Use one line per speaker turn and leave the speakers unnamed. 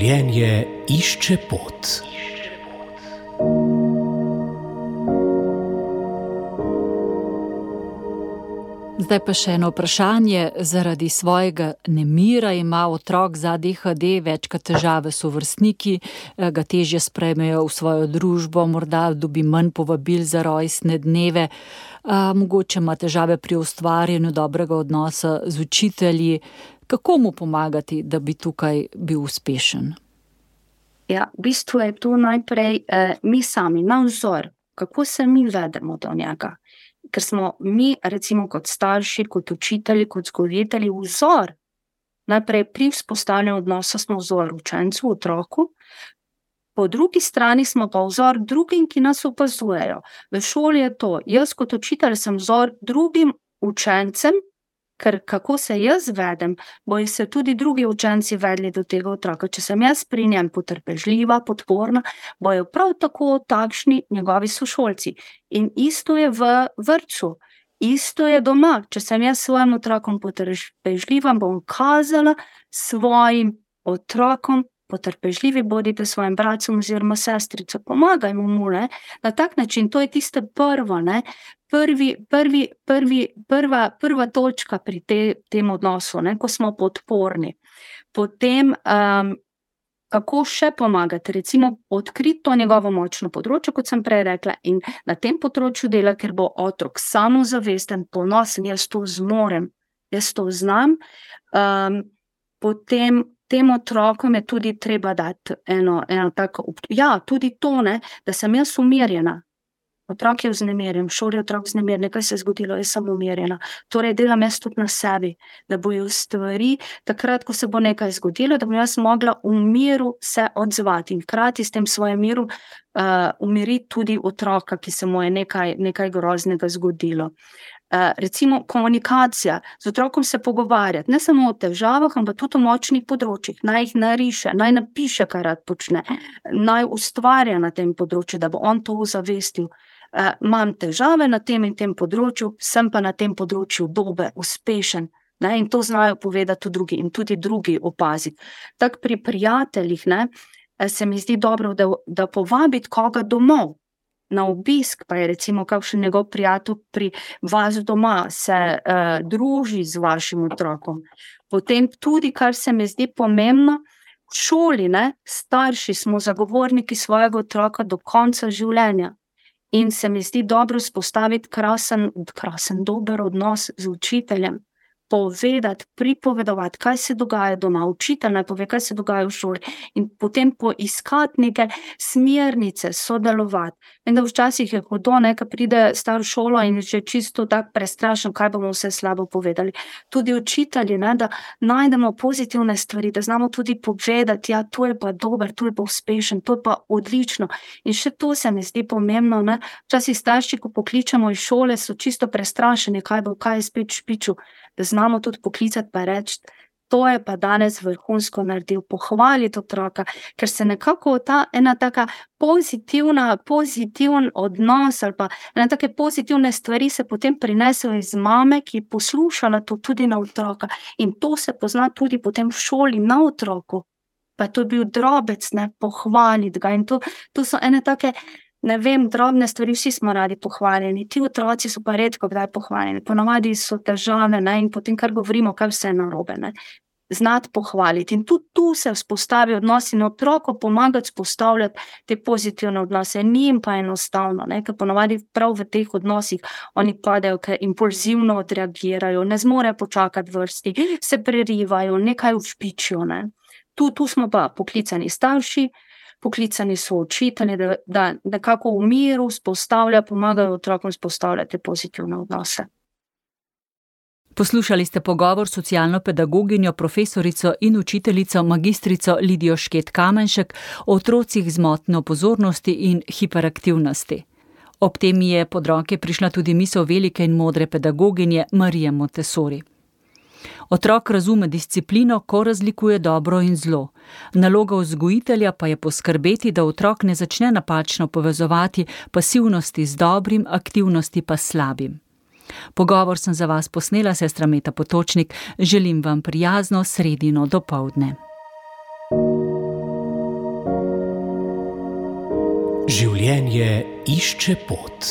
Življenje išče pot.
Zdaj pa še eno vprašanje. Zaradi svojega nemira ima otrok z ADHD večkrat težave s sovrstniki, ga težje sprejmejo v svojo družbo, morda dobi manj povabil za rojstne dneve, mogoče ima težave pri ustvarjanju dobrega odnosa z učitelji. Kako mu pomagati, da bi tukaj bil uspešen?
Ja, v bistvu je to najprej mi sami, na vzor, kako se mi vedemo do njega. Ker smo mi, recimo kot starši, kot učitelji, kot vzgojitelji, vzor. Najprej pri vzpostavljanju odnosa smo vzor učencu, otroku, po drugi strani smo pa vzor drugim, ki nas opazujejo. V šoli je to, jaz kot učitelj sem vzor drugim učencem, ker kako se jaz vedem, bojo se tudi drugi učenci vedli do tega otroka. Če sem jaz pri njem potrpežljiva, podporna, bojo prav tako takšni njegovi sošolci. In isto je v vrtcu, isto je doma. Če sem jaz svojim otrokom potrpežljiva, bom kazala svojim otrokom, potrpežljivi bodite svojim bratcem oziroma sestrico, pomagajmo mu, ne? Na tak način, to je tiste prvo, ne? Prva točka pri tem odnosu, ne? Ko smo podporni. Potem, kako še pomagati, recimo odkriti to njegovo močno področje, kot sem prej rekla, in na tem področju dela, ker bo otrok samozavesten, ponosen, jaz to zmorem, jaz to znam, potem tem otrokom je tudi treba dati eno tako, tudi to, ne, da sem jaz umirjena. Otrok je vznemirjen, v šoli je otrok vznemirjen, nekaj se je zgodilo, jaz sem umirjena. Torej delam jaz tudi na sebi, da bojo stvari, takrat, ko se bo nekaj zgodilo, da bom jaz mogla v miru se odzvati in hkrati s tem svojem miru umiriti tudi otroka, ki se mu je nekaj groznega zgodilo. Recimo komunikacija, z otrokom se pogovarjati, ne samo o težavah, ampak tudi o močnih področjih, naj jih nariše, naj napiše, kaj rad počne, naj ustvarja na tem področju, da bo on to ozavestil. Imam težave na tem in tem področju, sem pa na tem področju dober, uspešen, ne, in to znajo povedati tudi drugi in tudi drugi opaziti. Tako pri prijateljih, ne, se mi zdi dobro, da povabiti koga domov, na obisk, pa je recimo kakšen njegov prijatelj pri vas doma, se druži z vašim otrokom. Potem tudi, kar se mi zdi pomembno, v šoli, ne, starši smo zagovorniki svojega otroka do konca življenja. In se mi zdi dobro vzpostaviti krasen, dober odnos z učiteljem. Povedati, pripovedovati, kaj se dogaja doma, učitelj naj pove, kaj se dogaja v šoli, in potem poiskati neke smernice, sodelovati. Vem, da včasih je hudo, ne, ko pride star v šolo in že čisto tako prestrašen, kaj bomo vse slabo povedali. Tudi učitelji, ne, da najdemo pozitivne stvari, da znamo tudi povedati, ja, to je pa dober, to je pa uspešen, to je pa odlično. In še to se mi zdi pomembno, ne. Včasih starši, ko pokličemo iz šole, so čisto prestrašeni, kaj je spet špičil, da znamo tudi poklicati pa reči, to je pa danes vrhunsko naredil, pohvaliti otroka, ker se nekako ena taka pozitiven odnos ali pa ena take pozitivne stvari se potem prinesejo iz mame, ki je poslušala to tudi na otroka, in to se pozna tudi potem v šoli na otroku. Pa to je bil drobec, ne, pohvaliti ga, in to so ene take, ne vem, drobne stvari, vsi smo radi pohvaljeni, ti otroci so pa redko kdaj pohvaljeni, ponavadi so težave, ne, in potem kar govorimo, kaj vse je narobe, ne. Znati pohvaliti, in tudi tu se vzpostavi odnos in otroku pomagati vzpostavljati te pozitivne odnose, njim pa enostavno, ne, ker ponavadi prav v teh odnosih oni padejo, ker impulzivno odreagirajo, ne zmorejo počakati vrsti, se prerivajo, nekaj ušpičijo, ne. Tu smo pa poklicani starši, poklicani so učitelji, da nekako v miru pomagajo otrokom vzpostavljati pozitivne odnose.
Poslušali ste pogovor s socialno pedagoginjo, profesorico in učiteljico magistrico Lidijo Šket Kamenšek o otrocih z motnjo pozornosti in hiperaktivnosti. Ob tem je pod roke prišla tudi misel velike in modre pedagoginje Marije Montessori. Otrok razume disciplino, ko razlikuje dobro in zlo. Naloga vzgojitelja pa je poskrbeti, da otrok ne začne napačno povezovati pasivnosti z dobrim, aktivnosti pa s slabim. Pogovor sem za vas posnela, sestra Meta Potočnik. Želim vam prijazno sredino dopoldne.
Življenje išče pot.